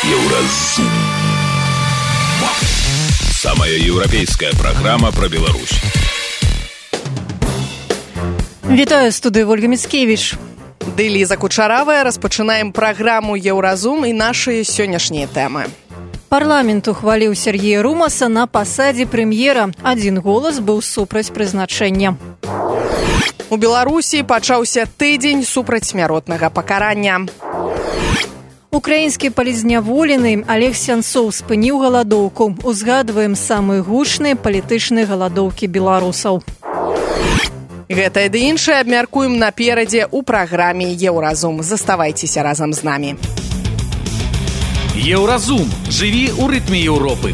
Еўразум. Самая еўрапейская праграма пра Беларусь. Вітаю, студыі Ольга Міцкевіч. Ды Ліза Кучаравая. Распачынаем праграму «Еўразум» і нашыя сённяшнія тэмы. Парламент ухваліў Сергея Румаса на пасадзе прэм'ера. Адзін голас быў супраць прызначэння. У Беларусі пачаўся тыдзень супраць смяротнага пакарання. Украінскі палізняволены Олег Сянцоў спыніў галадоўку. Узгадваем самыя гучныя палітычныя галадоўкі беларусаў. Гэтае ды іншае абмяркуем наперадзе ў праграме «Еўразум». Заставайцеся разам з намі. Еўразум. Жыві ў рытме Еўропы.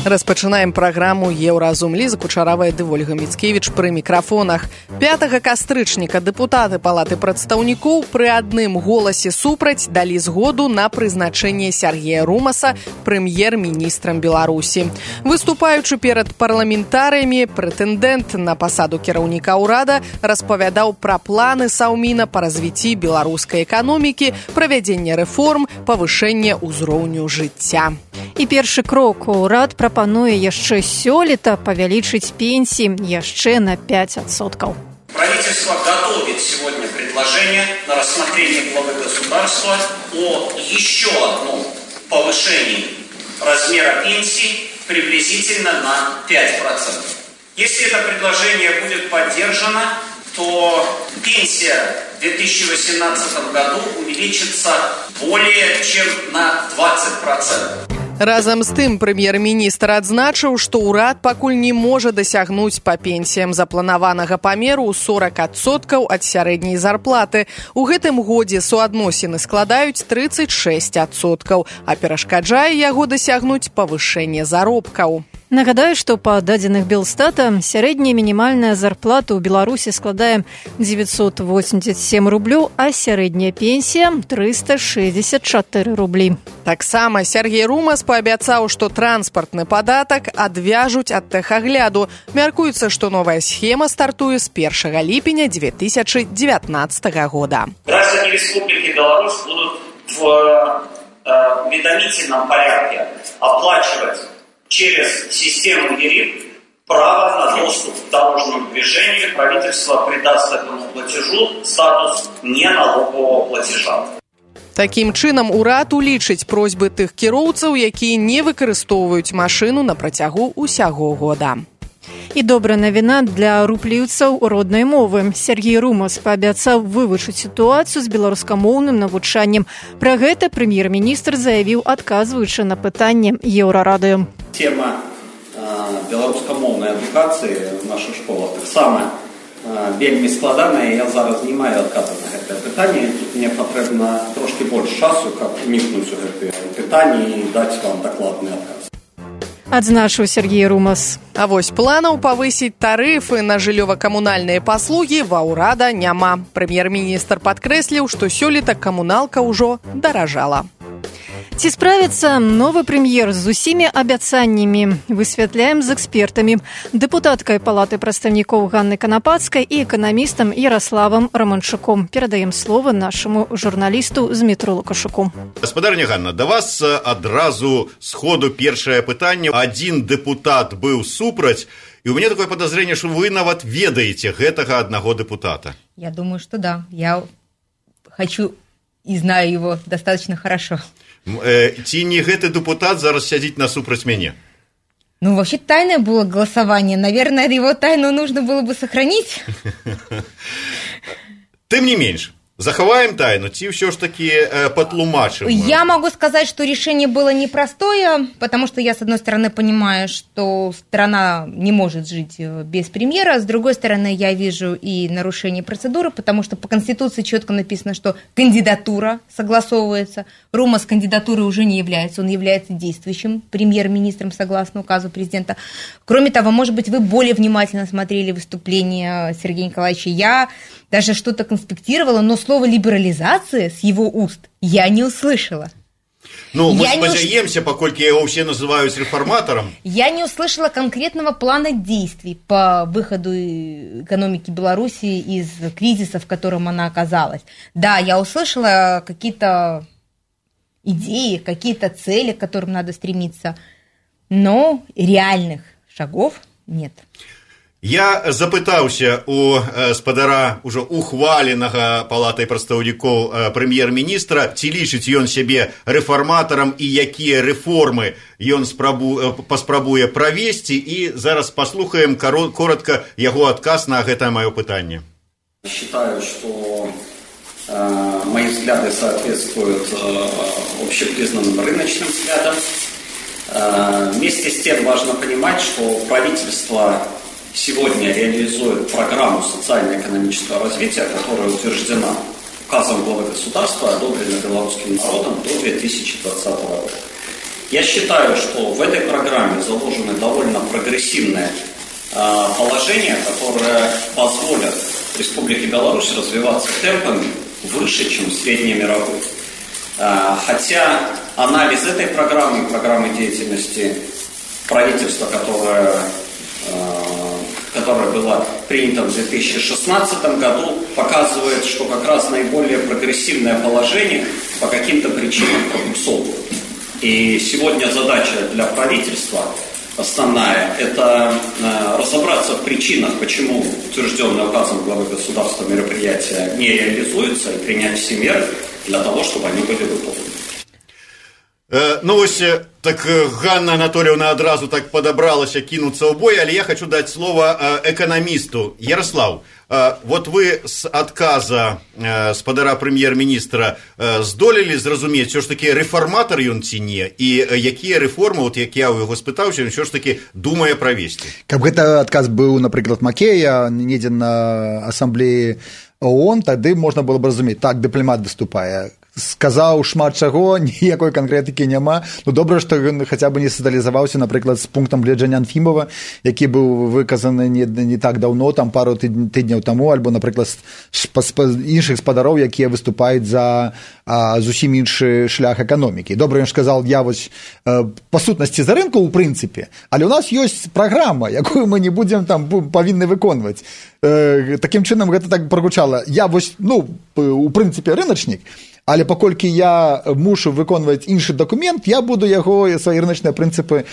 Распачынаем праграму «Еўразум». Ліза Кучаравая ды Ольга Міцкевіч пры мікрафонах. 5 кастрычніка дэпутаты Палаты прадстаўнікоў пры адным голасе супраць далі згоду на прызначэнне Сергея Румаса прэм'ер-міністрам Беларусі. Выступаючы перад парламентарыямі, прэтэндэнт на пасаду кіраўніка ўрада распавядаў пра планы Саўміна па развіцці беларускай эканомікі, правядзення рэформ, павышэння ўзроўню жыцця. І першы крок. Урад прапануе яшчэ сёлета павялічыць пенсии яшчэ на 5%. Правительство готовит сегодня предложение на рассмотрение главы государства о еще одном повышении размера пенсий приблизительно на 5%. Если это предложение будет поддержано, то пенсия в 2018 году увеличится более чем на 20%. Разам з тым, прэм'ер-міністр адзначыў, што ўрад пакуль не можа дасягнуць па пенсіям запланаванага памеру ў 40% ад сярэдняй зарплаты. У гэтым годзе суадносіны складаюць 36%, а перашкаджае яго дасягнуць павышэнне заробкаў. Нагадаю, што па дадзеных Белстата сярэдняя мінімальная зарплата ў Беларусі складае 987 рублёў, а сярэдняя пенсія 364 рублі. Таксама Сергей Румас паабяцаў, што транспартны падатак адвяжуць ад тэхагляду. Мяркуецца, што новая схема стартуе з 1 ліпеня 2019 года. Граждане Республики Беларусь будут в уведомительном порядке оплачивать через систему ЕРИП право на доступ к дорожному движению. Правительство придаст этому платежу статус неналогового платежа. Такім чынам, урад улічыць просьбы тых кіроўцаў, якія не выкарыстоўваюць машыну на працягу ўсяго года. І добрая навіна для рупліўцаў роднай мовы. Сергей Румас паабяцаў вывучыць сітуацыю з беларускамоўным навучаннем. Пра гэта прэм'ер-міністр заявіў, адказваючы на пытанне Еўрарады. Тема беларускамоўнай адукацыі в нашых школах таксама вельмі складаная. Я зараз не маю адказу на гэтае пытанне. Тут мне патрэбна трошки больш часу, каб унікнуць у гэтае пытанне і даць вам дакладны адказ. Адзначыў Сергей Румас. А вось планаў павысіць тарыфы на жыллёва-камунальныя паслугі ва ўрада няма. Прэм'ер-міністр падкрэсліў, што сёлета камуналка ўжо даражала. Ці справіцца новы прэм'ер з усімі абяцаннямі? Высвятляем з экспертамі. Дэпутаткай Палаты прадстаўнікоў Ганнай Канапацкай і эканамістам Яраславам Раманчуком. Перадаем слова нашаму журналісту Змітру Лукашуку. Гаспадарня Ганна, да вас адразу сходу першае пытанне. Адзін дэпутат быў супраць, і у мяне такое подозрение, что вы нават ведаеце гэтага аднаго дэпутата. Я думаю, что да. Я хочу и знаю его достаточно хорошо. Ці не гэты депутат зараз сядзіць насупраць мяне? Ну, вообще тайное было голосование. Наверное, его тайну нужно было бы сохранить. Тым не менш, захаваем тайну, ці ўсё ж таки патлумачым? Я могу сказать, что решение было непростое, потому что я, с одной стороны, понимаю, что страна не может жить без премьера, с другой стороны, я вижу и нарушение процедуры, потому что по Конституции четко написано, что кандидатура согласовывается. Румас кандидатурой уже не является, он является действующим премьер-министром согласно указу президента. Кроме того, может быть, вы более внимательно смотрели выступление Сергея Николаевича. Я даже что-то конспектировала, но слово «либерализация» с его уст я не услышала. Ну, мы спадзяемся, паколькі его все называют реформатором. Я не услышала конкретного плана действий по выходу экономики Беларуси из кризиса, в котором она оказалась. Да, я услышала какие-то идеи, какие-то цели, к которым надо стремиться, но реальных шагов нет. Я запытаўся у спадара ўжо ухваленага палатай прадстаўнікоў прэм'ер-міністра, ці лічыць ён сябе рэфарматарам і якія рэформы ён паспрабуе правесці, і зараз паслухаем коротко яго адказ на гэтае маё пытанне. Считаю, что мои взгляды соответствуют общепризнанным рыночным взглядам. Вместе с тем важно понимать, что правительство сегодня реализует программу социально-экономического развития, которая утверждена указом главы государства, одобрена белорусским народом до 2020 года. Я считаю, что в этой программе заложены довольно прогрессивные положения, которые позволят Республике Беларусь развиваться темпами выше, чем среднемировой. Хотя анализ этой программы, программы деятельности правительства, которая была принята в 2016 году, показывает, что как раз наиболее прогрессивное положение по каким-то причинам пробуксовывает. И сегодня задача для правительства основная – это разобраться в причинах, почему утвержденное указом главы государства мероприятия не реализуется, и принять все меры для того, чтобы они были выполнены. Ну вось, так Ганна Анатольевна адразу так подобралася кинуться ў бой, але я хочу дать слово экономисту. Ярослав, вот вы с отказа спадара прэм'ер-міністра здолелі зразумець, все ж таки рэфарматар ён ці не, і якія рэформы, вот як я ў яго спытаўся, ён все ж таки думае правесці. Каб гэты адказ быў, напрыклад, Макея недзе на ассамблеі ООН, тады можна было б разумець, так, дыпламат выступае. Сказаў шмат чаго, ніякой канкрэтыкі няма. Ну, добра, што ён хаця бы не сацыялізаваўся, напрыклад, з пунктам гледжання Анфімова, які быў выказаны не так даўно, там пару тыдняў таму, альбо, напрыклад, іншых спадароў, якія выступаюць за зусім іншы шлях эканомікі. Добра, ён сказал, я вось па сутнасці за рынку, у прынцыпе, але ў нас ёсць праграма, якую мы не будзем там павінны выконваць. Такім чынам гэта так прагучала. Я вось, ну, у прынцыпе рыначнік, але паколькі я мушу выконваць іншы дакумент, я буду яго свае рыначныя прынцыпы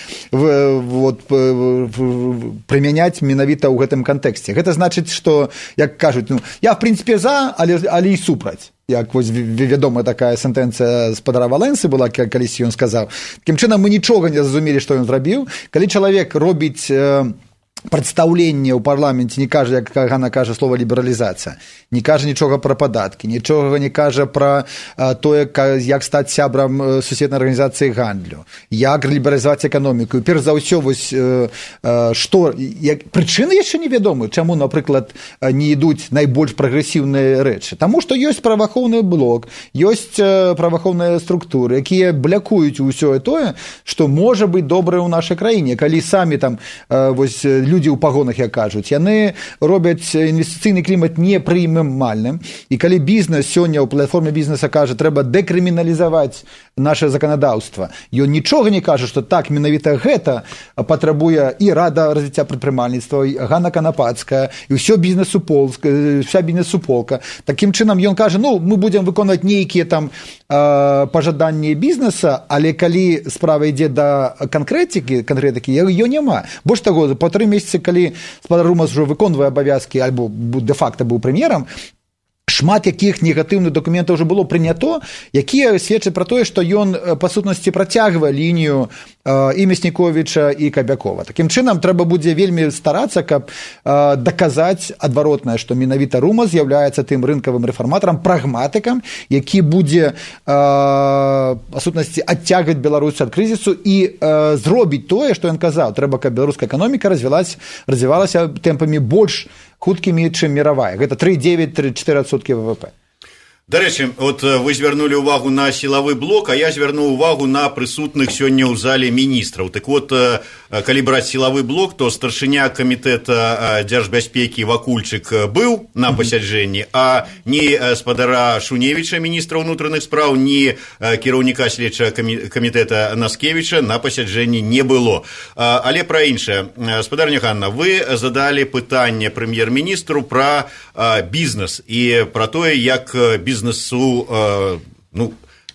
прымяняць менавіта ў гэтым кантэксце. Гэта значыць, што, як кажуць, ну, я в прынцыпе за, але і супраць. Як вось вядомая такая сентэнцыя спадара Валенсы была, калісь ён сказаў. Такім чынам мы нічога не зразумелі, што ён зрабіў. Калі чалавек робіць прадстаўленне ў парламенце, не кажа, як Ганна кажа, слова лібералізацыя, не кажа нічога пра падаткі, нічога не кажа пра тое, як стаць сябрам сусветнай арганізацыі гандлю, як лібералізаваць эканоміку. Перш за ўсё, вось, прычыны яшчэ невядомы, чаму, напрыклад, не ідуць найбольш прагрэсіўныя рэчы. Таму што ёсць праваахоўны блок, ёсць праваахоўныя структуры, якія блякуюць усё тое, што можа быць добрае ў нашай краіне. Калі самі там вось людзі ў пагонах, як кажуць, яны робяць інвестыцыйны клімат непрымальным, і калі бізнес сёння ў платформе бізнеса кажа, трэба дэкрыміналізаваць наше заканадаўства, ён нічога не кажа, што так, менавіта гэта патрабуе і Рада развіцця прадпрымальніцтва, і Ганна Канапацкая, і вся бізнес-суполка. Такім чынам ён кажа, ну, мы будзем выконваць нейкія там пажаданні бізнеса, але калі справа ідзе да канкрэтыкі, яе няма. Больш таго, па 3 месяцы, калі спадар Румас ужо выконвае абавязкі, альбо дэ-факта быў прэм'ерам, шмат якіх негатыўных дакументаў ўжо было прынято, якія сведчаць пра тое, што ён, па сутнасці, працягвае лінію і Мясніковіча, і Кабякова. Такім чынам, трэба будзе вельмі старацца, каб даказаць адваротнае, што менавіта Румас з'яўляецца тым рынкавым рэфарматарам, прагматыкам, які будзе, па сутнасці, адцягваць Беларусь ад крызісу і зробіць тое, што ён казаў. Трэба, каб беларуская эканоміка развівалася тэмпамі больш хуткімі, чым мировая. Гэта 3,9-3,4% ВВП. Дарэчы, вот вы звярнулі ўвагу на сілавы блок, а я звярнуў увагу на прысутных сёння ў зале міністраў. Так вот, калі браць сілавы блок, то старшыня камітэта дзяржбяспекі Вакульчык быў на пасяджэнні, а ні спадара Шуневіча, міністра ўнутраных спраў, ні кіраўніка следчага камітэта Наскевіча на пасяджэнні не было. Але пра іншае. Спадарня Ганна, вы задалі пытанне прэм'ер-міністру пра бізнес і пра тое, як бізнесу...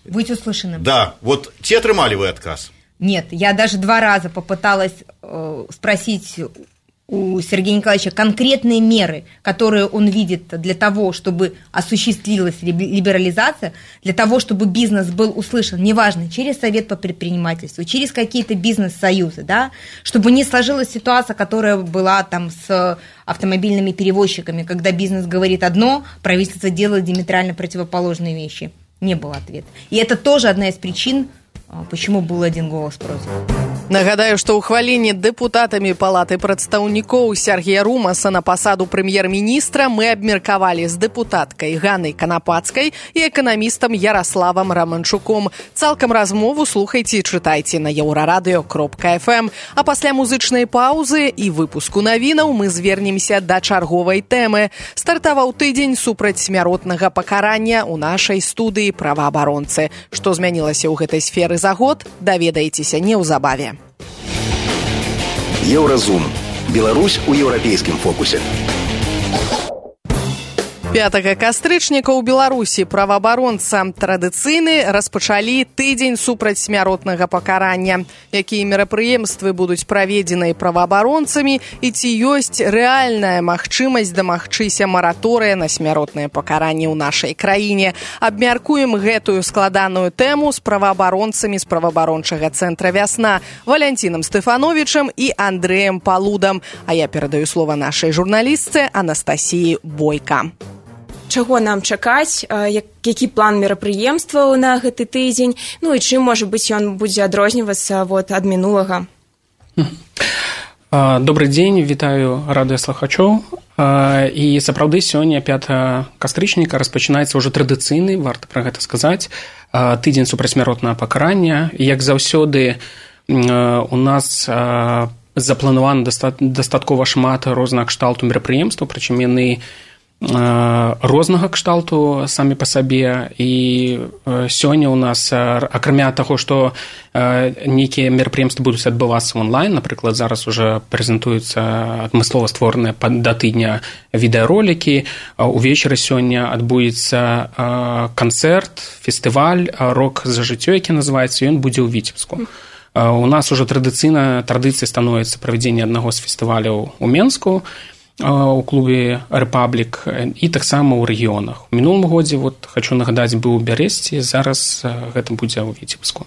быть услышанным. Да, вот те отрымали вы отказ? Нет, я даже 2 раза попыталась спросить у Сергея Николаевича конкретные меры, которые он видит для того, чтобы осуществилась либерализация, для того, чтобы бизнес был услышан, неважно, через Совет по предпринимательству, через какие-то бизнес-союзы, да, чтобы не сложилась ситуация, которая была там с автомобильными перевозчиками, когда бизнес говорит одно, правительство делает диаметрально противоположные вещи. Не было ответа. И это тоже одна из причин, почему был 1 голос против. Нагадаю, што ў хваленні дэпутатамі Палаты прадстаўнікоў Сергея Румаса на пасаду прэм'ер-міністра мы абмеркавалі з дэпутаткай Ганнай Канапацкай і эканамістам Ярославам Романчуком. Цалкам размову слухайце і чытайце на еўрарадыё.фм. А пасля музычнай паўзы і выпуску навінаў мы звернемся да чарговай тэмы. Стартаваў тыдзень супраць смяротнага пакарання ў нашай студыі праваабаронцы. Што змянілася ў гэтай сферы за год, даведаецеся неўзабаве. Еўразум. Беларусь у еўрапейскім фокусе. 5 кастрычніка ў Беларусі праваабаронца традыцыйны распачалі тыдзень супраць смяротнага пакарання. Якія мерапрыемствы будуць праведзены праваабаронцамі і ці ёсць рэальная магчымасць дамагчыся мараторыя на смяротнае пакаранне ў нашай краіне. Абмяркуем гэтую складаную тэму з праваабаронцамі з праваабарончага цэнтра «Вясна» Валянцінам Стэфановічам і Андрэем Палудам. А я перадаю слова нашай журналістцы Анастасіі Бойка. Чаго нам чакаць, які план мерапрыемстваў на гэты тыдзень, і чым, можа быць, ён будзе адрознівацца ад мінулага. Добры дзень, вітаю радыёслухачоў. І сапраўды сёння 5 кастрычніка распачынаецца ўжо традыцыйны, варта пра гэта сказаць, тыдзень супрацьсмяротнага пакарання. Як заўсёды у нас запланавана дастаткова шмат рознага кшталту мерапрыемстваў, прычым яны рознага кшталту самі па сабе. І сёння ў нас, акрамя таго, што нейкія мерапрыемствы будуць адбывацца онлайн, напрыклад, зараз уже прэзентуюцца адмыслова створаныя да тыдня відэаролікі, увечары сёння адбудзецца канцэрт, фестываль «Рок за жыццё», які называецца, ён будзе ў Віцебску. У нас уже традыцыяй становіцца правядзенне аднаго з фестываляў у Менску, у клубе «Рэпаблік» і таксама ў рэгіёнах. У мінулым годзе, хочу нагадаць, быў у Бярэсці, зараз гэта будзе ў Віцебску.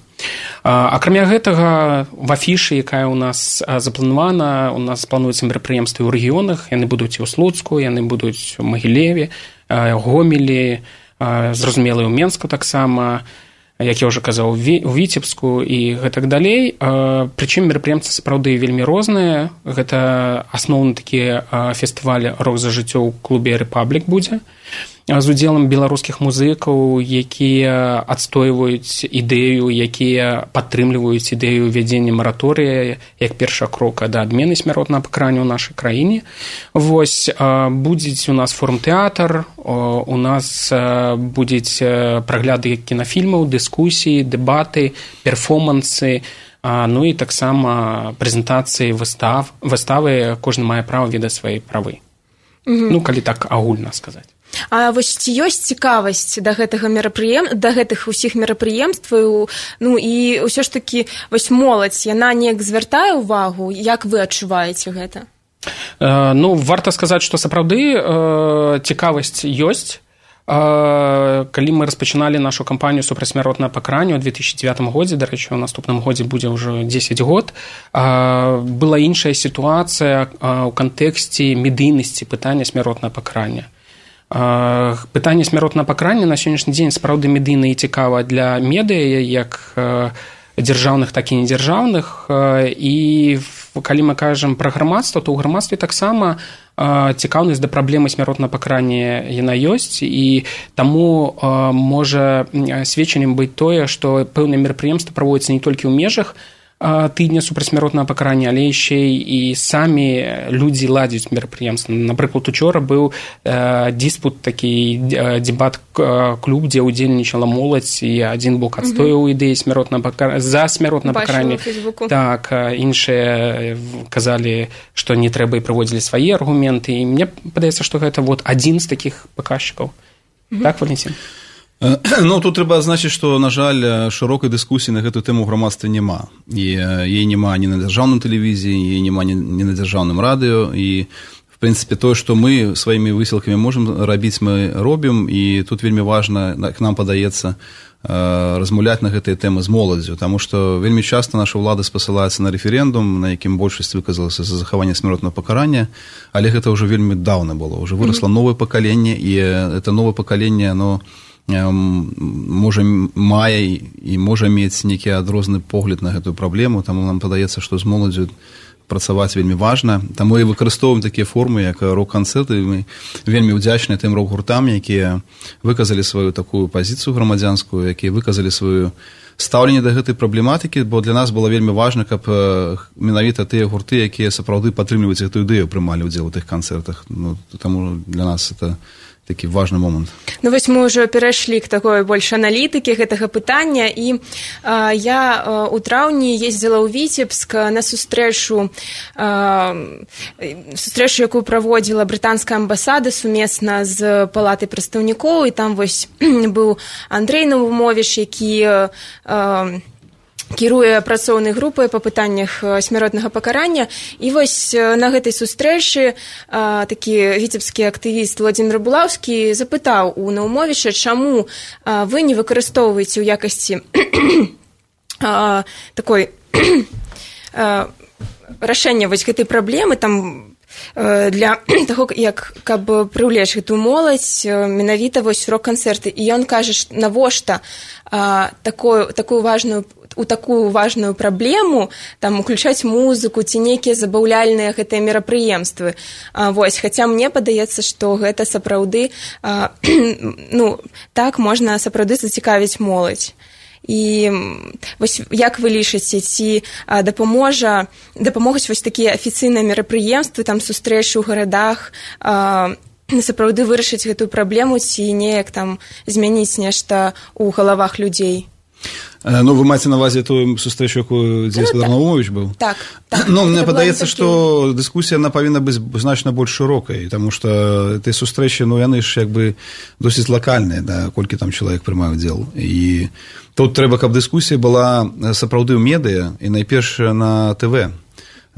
Акрамя гэтага, в афішы, якая ў нас запланавана, у нас плануюцца мерапрыемствы ў рэгіёнах, яны будуць і ў Слуцку, яны будуць у Магілеве, Гомелі, зразумела, і ў Менску таксама, як я ўжо казаў, у Віцебску і гэтак далей. Прычым мерапрыемствы сапраўды вельмі розныя. Гэта асноўны такі фестываль «Рок за жыццё» ў клубе «Рэпаблік» будзе з удзелам беларускіх музыкаў, якія адстойваюць ідэю, якія падтрымліваюць ідэю ввядзення мараторыя як першага крока да адмены смяротнага пакарання ў нашай краіне. Будзе у нас форум-тэатр, у нас будуць прагляды кінафільмаў, дыскусіі, дэбаты, перформансы, і таксама прэзентацыі выставы, кожны мае права ведаць свае правы. Калі так агульна сказаць. А ці ёсць цікавасць да гэтых усіх мерапрыемстваў, і ўсё ж такі моладзь, яна неяк звяртае ўвагу, як вы адчуваеце гэта? Варта сказаць, што сапраўды цікавасць ёсць. Калі мы распачыналі нашу кампанію супрацьсмяротнага пакарання ў 2009 годзе, дарэчы, у наступным годзе будзе ўжо 10 год, была іншая сітуацыя ў кантэксце медыйнасці пытання смяротнага пакарання. Пытанне смяротнага пакарання на сённяшні дзень сапраўды медыйна і цікава для медыа, як дзяржаўных, так і недзяржаўных. І калі мы кажам пра грамадства, то ў грамадстве таксама цікаўнасць да праблемы смяротнага пакарання яна ёсць, і таму можа сведчаннем быць тое, што пэўныя мерапрыемствы праводзяцца не толькі ў межах тыдня супрацьсмяротнага пакарання, але яшчэ і самі людзі ладзяць мерапрыемствы. Напрыклад, учора быў диспут, такі дзебат-клуб, дзе ўдзельнічала моладзь, і адзін бок адстояў ідэі за смяротнае пакаранне. Так, іншыя казалі, што не трэба, і прыводзілі свае аргументы. І мне падаецца, што гэта вот адзін з такіх паказчыкаў. Так, Валентин? Ну, тут трэба адзначыць, што, на жаль, шырокай дыскусіі на гэтую тэму ў грамадстве няма. І яе няма ні на дзяржаўнай тэлевізіі, яе няма ні на дзяржаўным радыё. І, в прынцыпе, тое, што мы сваімі высілкамі можам рабіць, мы робім. І тут вельмі важна, к нам падаецца, размаўляць на гэтыя тэмы з моладзю, таму што вельмі часта наша ўлада спасылаецца на рэферэндум, на якім большасць выказалася за захаванне смяротнага пакарання, але гэта ўжо вельмі даўна было. Уже вырасла новае пакаленне, і это новае пакаленне, оно можа мае і можа мець нейкі адрозны погляд на гэтую праблему, таму нам падаецца, што з моладзю працаваць вельмі важна. Таму і выкарыстоўваем такія формы, як рок-канцэрты. Мы вельмі ўдзячныя тым рок-гуртам, якія выказалі сваю такую пазіцыю грамадзянскую, якія выказалі сваю стаўленне да гэтай праблематыкі, бо для нас было вельмі важна, каб менавіта тыя гурты, якія сапраўды падтрымліваюць гэтую ідэю, прымалі ўдзел у тых канцэртах. Ну, таму для нас это такі важны момант. Ну вось мы ўжо перайшлі к такой больш аналітыкі гэтага пытання, і я у траўні ездзіла ў Віцебск на сустрэчу, якую праводзіла брытанская амбасада сумесна з палатай прадстаўнікоў, і там вось быў Андрэй Навумовіч, які кіруе працоўнай групай па пытаннях смяротнага пакарання. І вось на гэтай сустрэчы такі віцебскі актывіст Владзімір Булаўскі запытаў у Наумовіча, чаму вы не выкарыстоўваеце ў якасці такой рашэння вось гэтай праблемы там для таго, як каб прыўлечь гэтую моладзь менавіта вось рок-канцэрты. І ён кажа, навошта такую важную праблему там уключаць музыку ці нейкія забаўляльныя гэтыя мерапрыемствы. Вось, хаця мне падаецца, што гэта сапраўды так можна сапраўды зацікавіць моладзь. І вось як вы лічыце, ці дапамогуць вось такія афіцыйныя мерапрыемствы, там сустрэчы ў гарадах, сапраўды вырашыць гэтую праблему, ці неяк там змяніць нешта ў галавах людзей? Ну, вы маеце на ўвазе тую сустрэчу, якую дзе Гаспадар Наумовіч быў? Так. Ну, мне падаецца, што дыскусія, яна павінна быць значна больш шырокай, таму што тыя сустрэчы, яны ж як бы досыць лакальныя, да, колькі там чалавек прымае ўдзел. І тут трэба, каб дыскусія была сапраўды ў медыа і найперш на ТВ.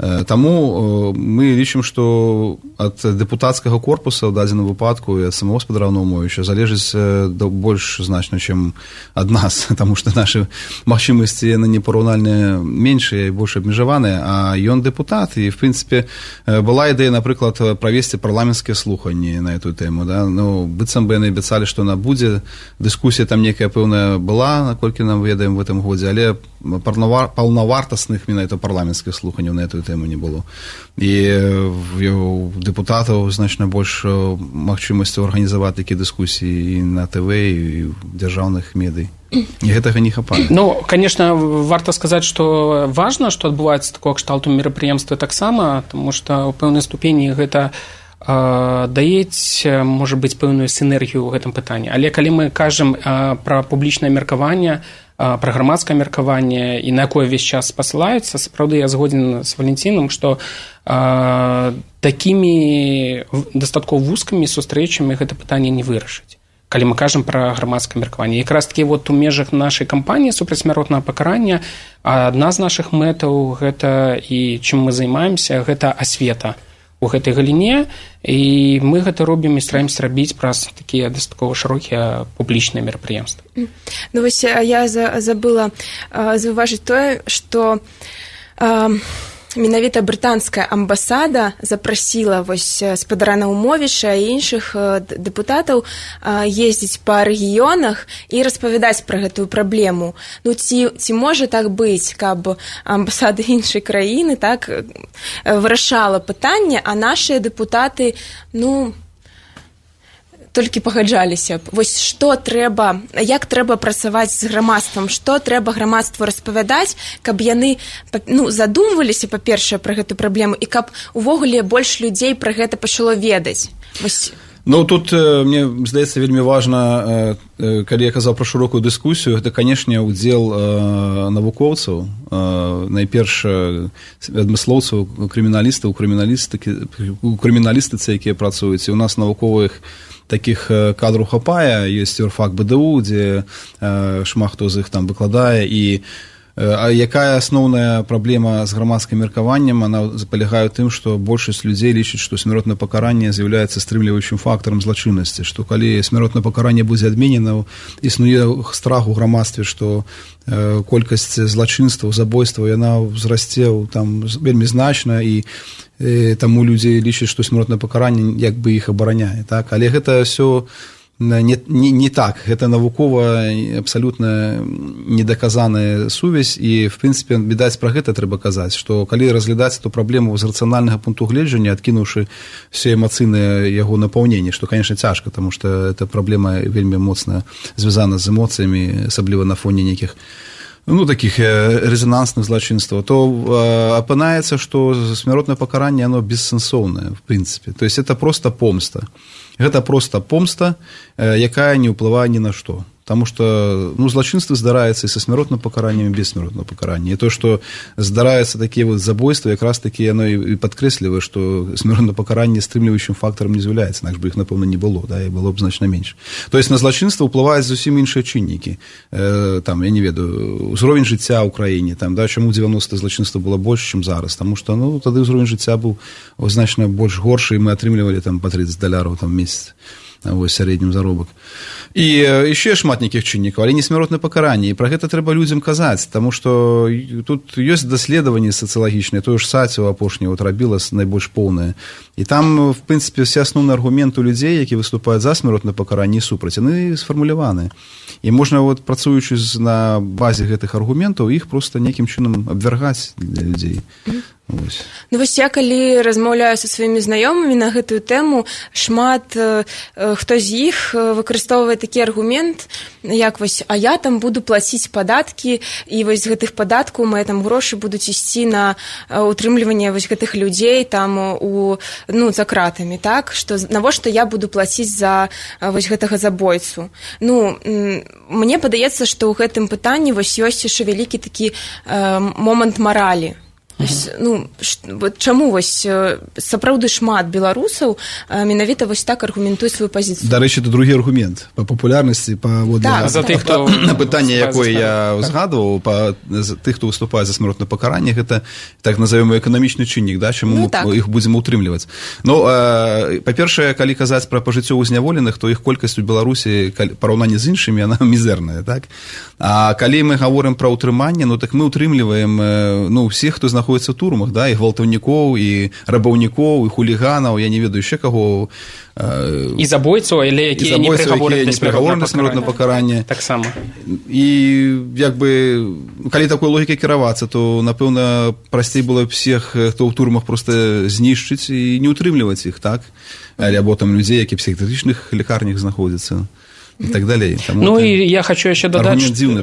Таму мы лічым, што ад дэпутацкага корпуса ў дадзеным выпадку і ад самого Гаспадара Наумовіча залежыць больш значна, чым ад нас, таму што нашы магчымасці яны непараўнальна меншыя і больш абмежаваныя, а ён дэпутат, і в прынцыпе была ідэя, напрыклад, правесці парламенцкія слуханні на эту тэму, да? Ну, быццам бы яны абяцалі, што яна будзе, дыскусія там некая пэўная была, наколькі нам ведаем в гэтым годзе, але паўнавартасных менавіта парламенцкіх слуханняў на эту тэму не было. І у дэпутатаў значна больш магчымасцяў арганізаваць такія дыскусіі і на ТВ, і ў дзяржаўных медый. І гэтага не хапае. Ну, конечно, варта сказаць, што важна, што адбываецца такого кшталту мерапрыемствы таксама, тому што ў пэўнай ступені гэта даець, можа быць, пэўную сінергію ў гэтым пытанні. Але калі мы кажам пра публічнае меркаванне, пра грамадскае меркаванне і на якое ўвесь час спасылаюцца, сапраўды я згодзін з Валентинам, што такімі дастаткова вузкімі сустрэчамі гэта пытанне не вырашыць, калі мы кажам пра грамадскае меркаванне. Якраз такі вот у межах нашай кампаніі супрацьсмяротнага пакарання адна з нашых мэтаў гэта, і чым мы займаемся, гэта асвета у гэтай галіне, і мы гэта робім і стараемся рабіць праз такія дастаткова шырокія публічныя мерапрыемствы. Ну вось я забыла заўважыць тое, што менавіта брытанская амбасада запрасіла вось Гаспадара Наумовіча і іншых дэпутатаў ездзіць па рэгіёнах і распавядаць пра гэтую праблему. Ну ці можа так быць, каб амбасада іншай краіны так вырашала пытанне, а нашыя дэпутаты, толькі пагаджаліся б. Вось што трэба, як трэба працаваць з грамадствам, што трэба грамадству распавядаць, каб яны задумваліся, па-першае, пра гэту праблему, і каб увогуле больш людзей пра гэта пачало ведаць. Вось. Ну, тут, мне здаецца, вельмі важна, калі я казаў пра шырокую дыскусію, гэта, канешне, удзел навукоўцаў, найперш адмыслоўцаў, крыміналістаў, у крыміналістыцы, якія працуюць, і у нас навуковых такіх кадраў хапае, ёсць юрфак БДУ, дзе шмат хто з іх там выкладае, і а якая асноўная праблема з грамадскім меркаваннем, она палягае ў тым, што большасць людзей лічыць, што смяротнае пакаранне з'яўляецца стрымліваючым фактарам злачыннасці, што калі смяротнае пакаранне будзе адменена, існуе страх у грамадстве, што колькасць злачынстваў, забойстваў, яна ўзрасце там вельмі значна, і таму людзі лічаць, што смяротнае пакаранне як бы іх абараняе, так? Але гэта ўсё не так, гэта навукова абсалютна недаказаная сувязь, і в прынцыпе, відаць, пра гэта трэба казаць, што калі разглядаць эту праблему з рацыянальнага пункту гледжання, адкінуўшы все эмацыйнае яго напаўненне, што, конечно, цяжка, таму што эта праблема вельмі моцна звязана з эмоцыямі, асабліва на фоне нейкіх таких резонансных злачынстваў, то апынаецца, што смяротнае пакаранне, оно бессэнсоўнае, в прынцыпе. То есть это просто помста. Гэта просто помста, якая не ўплывае ні на што. Таму што злачынствы здараецца і са смяротным пакараннем, і без смяротнага пакарання. І то, што здараюцца такія забойствы, якраз такі яно і падкрэслівае, што смяротнае пакаранне стрымліваючым фактарам не з'яўляецца, інакш бы іх, напэўна, не было, да, і было б значна менш. То есть на злачынства ўплываюць зусім іншыя чыннікі. Там, я не ведаю, узровень жыцця ў краіне, там, да, чаму 90 злачынства было больш, чым зараз, таму што, тады ўзровень жыцця быў значна больш горшы, і мы атрымлівалі там па $30 там месяц. Вось сярэднім заробак. І яшчэ шмат нейкіх чыннікаў, але не смяротнае пакаранне, і пра гэта трэба людзям казаць, таму што тут ёсць даследаванні сацыялагічныя, тое ж Саціў апошняе рабіла найбольш поўнае, і там, в прынцыпе, все асноўныя аргументы людзей, якія выступаюць за смяротнае пакаранне і супраць, яны сфармуляваны. І можна, працуючы на базе гэтых аргументаў, іх проста нейкім чынам абвяргаць для людзей. Вось я, калі размаўляю са сваімі знаёмымі на гэтую тэму, шмат хто з іх выкарыстоўвае такі аргумент, як вось, а я там буду плаціць падаткі, і вось з гэтых падаткаў мае там грошы будуць ісці на утрымліванне вось гэтых людзей там за кратамі, так? Што навошта я буду плаціць за вось гэтага забойцу? Мне падаецца, што ў гэтым пытанні вось ёсць яшчэ вялікі такі момант маралі. Чаму вось сапраўды шмат беларусаў менавіта вось так аргументуюць сваю пазіцыю? Дарэчы, это другі аргумент па папулярнасці, на пытанне, якое я узгадваў, па тых, хто выступае за смяротнае пакаранне, гэта так назовём эканамічны чыннік, да, чаму мы іх будзем утрымліваць. Па-першае, калі казаць пра пажыццёвых зняволеных, то іх колькасць у Беларусі параўнанні з іншымі, яна мізэрная, так? А калі мы гаворым пра ўтрыманне, так мы ўтрымліваем усіх, хто знаходзіцца ў турмах, да, і гвалтаўнікоў, і рабаўнікоў, і хуліганаў, я не ведаю яшчэ каго. І забойцаў, але якія не прыгавораны на смяротнае пакаранне. Таксама. І калі такой логікай кіравацца, то, напэўна, прасцей было б всех, хто ў турмах, проста знішчыць і не ўтрымліваць іх, так? Або там людзей, які в псіхіятрычных лекарнях знаходзяцца. И так далее. И я хочу еще додать,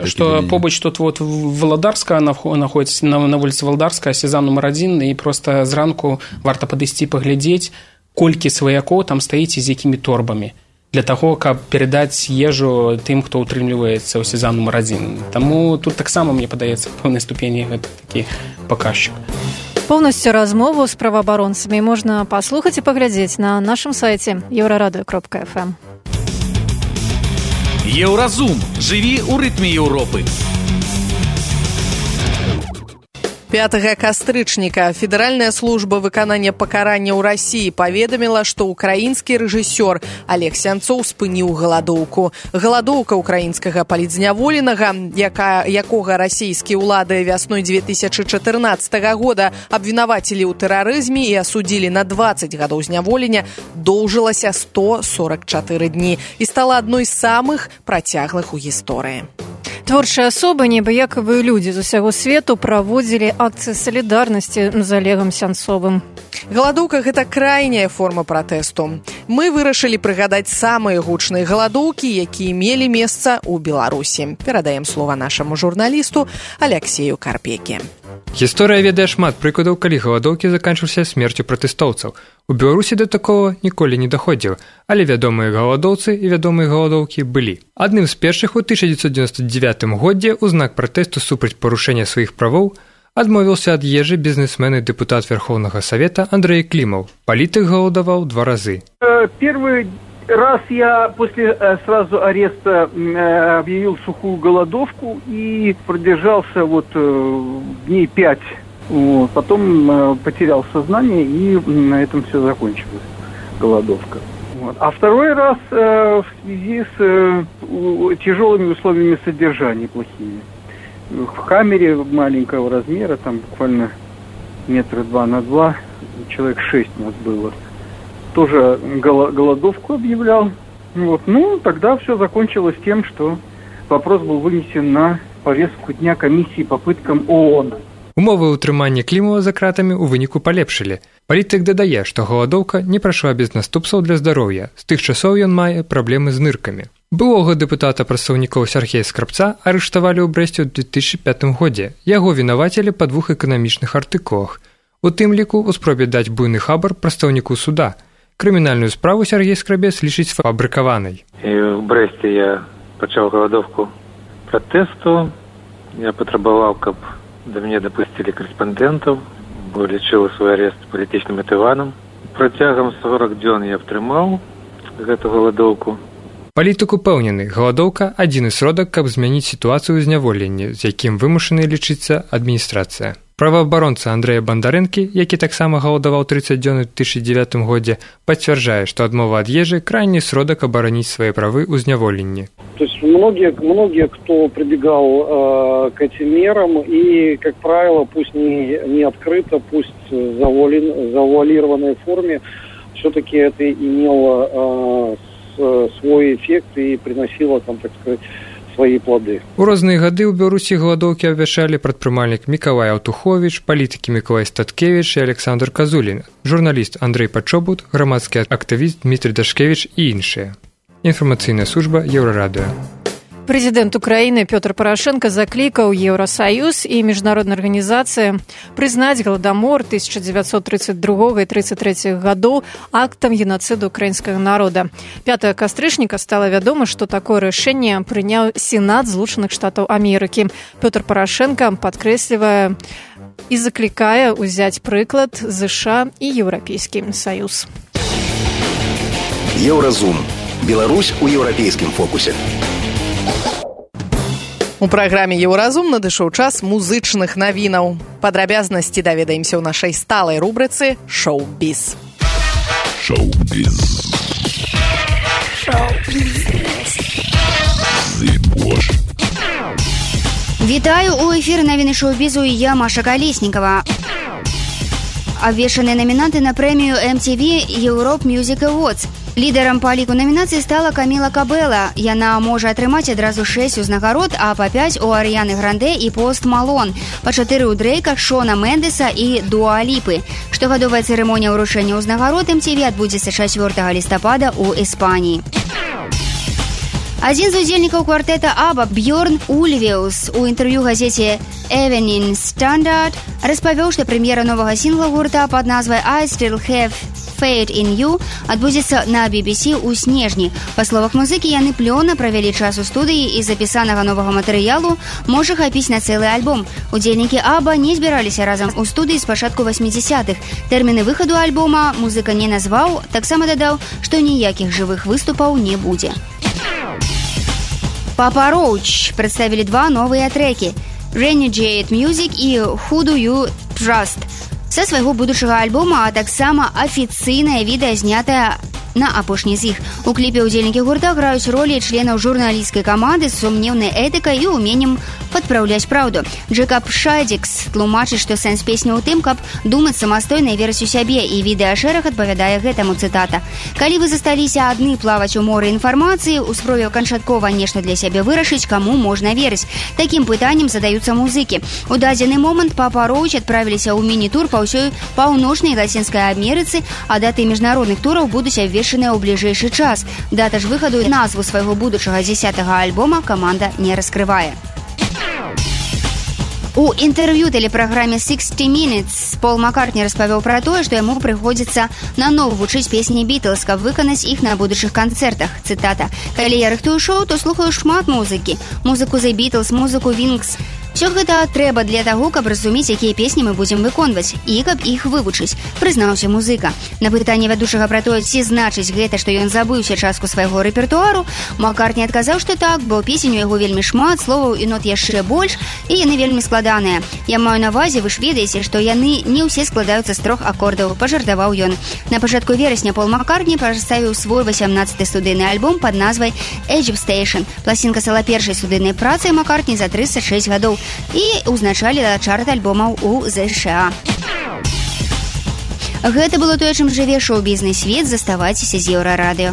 что побач тут Володарская находится на улице Володарская, сезон номер 1, и просто зранку варта падысці паглядзець, колькі сваякоў там стаіць з якімі торбамі для таго, каб перадаць ежу тым, хто ўтрымліваецца ў сезон номер 1. Таму тут таксама, мне падаецца, в пэўнай ступені гэта такі паказчык. Полностью размову с правоабаронцамі можна паслухаць і паглядзець на нашым сайце euradio.fm. Еўразум. Жыві ў рытме Еўропы. 5 кастрычніка Федэральная служба выканання пакарання ў Расіі паведаміла, што ўкраінскі рэжысёр Олег Сянцоў спыніў галадоўку. Галадоўка ўкраінскага палітзняволенага, якога расійскія ўлады вясной 2014 года абвінавацілі ў тэрарызме і асудзілі на 20 гадоў зняволення, доўжылася 144 дні і стала адной з самых працяглых у гісторыі. Творчыя асобы, небыякавыя людзі з усяго свету праводзілі акцыі салідарнасці з Олегам Сянцовым. Галадоўка – гэта крайняя форма пратэсту. Мы вырашылі прыгадаць самыя гучныя галадоўкі, якія мелі месца ў Беларусі. Перадаем слова нашаму журналісту Алексею Карпеке. Гісторыя ведае шмат прыкладаў, калі галадоўкі заканчваліся смерцю пратэстоўцаў. У Беларусі да такого ніколі не даходзіла, але вядомыя галадоўцы і вядомыя галадоўкі былі. Адным з першых у 1999 годзе ў знак пратэсту супраць парушэння сваіх правоў адмовіўся ад ежы бізнесмен і дэпутат Верховнага Совета Андрей Климов. Палітык галадаваў 2 разы. Первый раз я после сразу ареста объявил сухую голодовку и продержался дней 5. Потом потерял сознание, и на этом все закончилось, голодовка. А второй раз в связи с тяжелыми условиями содержания плохими. В камере маленького размера, там буквально 2 метра на 2, человек 6 нас было. Тоже голодовку объявлял. Тогда все закончилось тем, что вопрос был вынесен на повестку дня комиссии по пыткам ООН. Умовы ўтрымання Клімова за кратамі ў выніку палепшылі. Палітык дадае, што галадоўка не прайшла без наступстваў для здароўя. З тых часоў ён мае праблемы з ныркамі. Былога дэпутата-прадстаўнікоў Сяргея Скрабца арыштавалі ў Брэсце ў 2005 годзе. Яго вінавацілі па 2 эканамічных артыкулах. У тым ліку ў спробе даць буйны хабар прадстаўніку суда. Крымінальную справу Сяргей Скрабец лічыць фабрыкаванай. В Брэсце я пачаў галадовку пратэсту. Я патрабаваў, каб да мяне дапусцілі корэспандэнтаў, бо лічыў свой арест палітычным матыванам. Працягам 40 дзён я абтрымаў гэту галадоўку. Палітык упэўнены, галадоўка – адзіны сродак, каб змяніць сітуацыю зняволення, з якім вымушаны лічыцца адміністрацыя. Праваабаронца Андрэя Бандарэнкі, які таксама галадаваў 30 дзён у 2009 годзе, пацвярджае, што адмова ад ежы – крайні сродак абараніць свае правы ў зняволенні. То есть многие, кто прибегал к этим мерам, и, как правило, пусть не открыто, пусть в завуалированной форме, все-таки это имело свой эффект и приносило, так сказать, свои плоды. У розныя гады ў Беларусі галадоўкі абвяшчалі прадпрымальнік Мікалай Аўтуховіч, палітыкі Мікалай Статкевіч і Александр Казулін, журналіст Андрэй Пачобут, грамадскі актывіст Дмітрый Дашкевіч і іншыя. Інфармацыйная служба Еўрарадыё. Прэзідэнт Украіны Пётр Парашенко заклікаў Еўрасаюз і міжнародныя арганізацыі прызнаць галадамор 1932 і 33 гадоў актам геноциду украінскага народа. 5 кастрычніка стала вядома, што такое рашэнне прыняў Сенат Злучаных Штатаў Амерыкі. Пётр Парашенко падкрэслівае і заклікае ўзяць прыклад ЗША і Еўрапейскі Саюз. Еўразум. Беларусь у еўрапейскім фокусе. У праграме «Еўразум» надышоў час музычных навінаў. Падрабязнасці даведаемся ў нашай сталай рубрыцы «Шоу-біз». Шоу-біз. Вітаю, у эфіры навіны шоу-бізу і я, Маша Калеснікава. Абвешчаныя намінанты на прэмію MTV Europe Music Awards. Лідарам па ліку намінацый стала Каміла Кабэла. Яна можа атрымаць адразу 6 узнагарод, а па 5 у Арыяны Гранде і Пост Малон, па 4 у Дрейка, Шона Мендеса і Дуа Ліпы. Штогадовая цырымонія ўручэння ўзнагарод MTV адбудзецца 4 лістапада ў Іспаніі. Адзін з удзельнікаў квартэта Аба, Бьорн Ульвеус, у інтэрв'ю газеце Evening Standard распавёў, што прэм'ера новага сінгла гурта пад назвай I Still Have Faith in You адбудзецца на BBC ў снежні. Па словах музыкі, яны плённа правялі час у студыі і запісанага новага матэрыялу можа хапіць на цэлы альбом. Удзельнікі Аба не збіраліся разам у студыі з пачатку 80-х. Тэрміны выхаду альбома музыка не назваў, таксама дадаў, што ніякіх жывых выступаў не будзе. Папа Роуч прадставілі 2 новыя трэкі Renegade Music і Who Do You Trust са свайго будучага альбома, а таксама афіцыйнае відэа, знятае на апошні з іх. У кліпе ўдзельнікі гурта граюць ролі членаў журналісцкай каманды з сумнеўнай этыкай і уменнем падпраўляць праўду. Джекаб Шайдзікс тлумачыць, што сэнс песні ў тым, каб думаць самастойна і верыць у сябе, і відэашэраг адпавядае гэтаму, цытата. Калі вы засталіся адны плаваць у моры інфармацыі, у спробе канчаткова нешта для сябе вырашыць, каму можна верыць. Такім пытаннем задаюцца музыкі. У дадзены момант Папа Роуч адправіліся ў міні-тур па ўсёй паўночнай і лацінскай Амерыцы, а даты міжнародных тураў будуць абвешчаныя ў бліжэйшы час. Дата ж выхаду і назву свайго будучага 10-го альбома каманда не раскрывае. У інтэрв'ю тэлепраграме 60 Minutes Пол Маккартні распавёў пра тое, што яму прыходзіцца наноў вучыць песні Бітлз, каб выканаць іх на будучых канцэртах. Цытата. Калі я рыхтую шоу, то слухаю шмат музыкі. Музыку The Beatles, музыку Wings. Все гэта трэба для таго, каб разумець, якія песні мы будзем выконваць, і каб іх вывучыць, прызнаўся музыка. На пытанне вядучага пра тое, ці значыць гэта, што ён забыўся частку свайго рэпертуару, Маккартні адказаў, што так, бо песень у яго вельмі шмат, словаў і нот яшчэ больш, і яны вельмі складаныя. Я маю на ўвазе, вы ж ведаеце, што яны не ўсе складаюцца з 3 акордаў, пажартаваў ён. На пачатку верасня Пол Маккартні прадставіў свой 18-й студыйны альбом пад назвай Egypt Station. Пласцінка стала першай студыйнай працай Маккартні за 36 гадоў і ўзначаліла чарт альбомаў у ЗША. Гэта было тое, чым жыве шоу-бізнес свет. Заставайцеся з Еўрарадыё.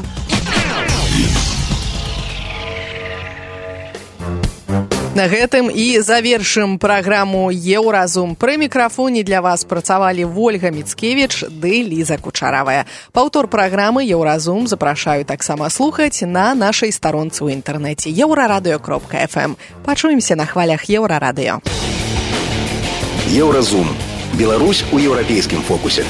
На гэтым і завершым праграму «Еўразум». Пры мікрафоне для вас працавалі Вольга Міцкевіч ды Ліза Кучаравая. Паўтор праграмы «Еўразум» запрашаю таксама слухаць на нашай старонцы ў інтэрнэце euraradыё.fm. Пачуемся на хвалях Еўрарадыё. Еўразум. Беларусь у еўрапейскім фокусе.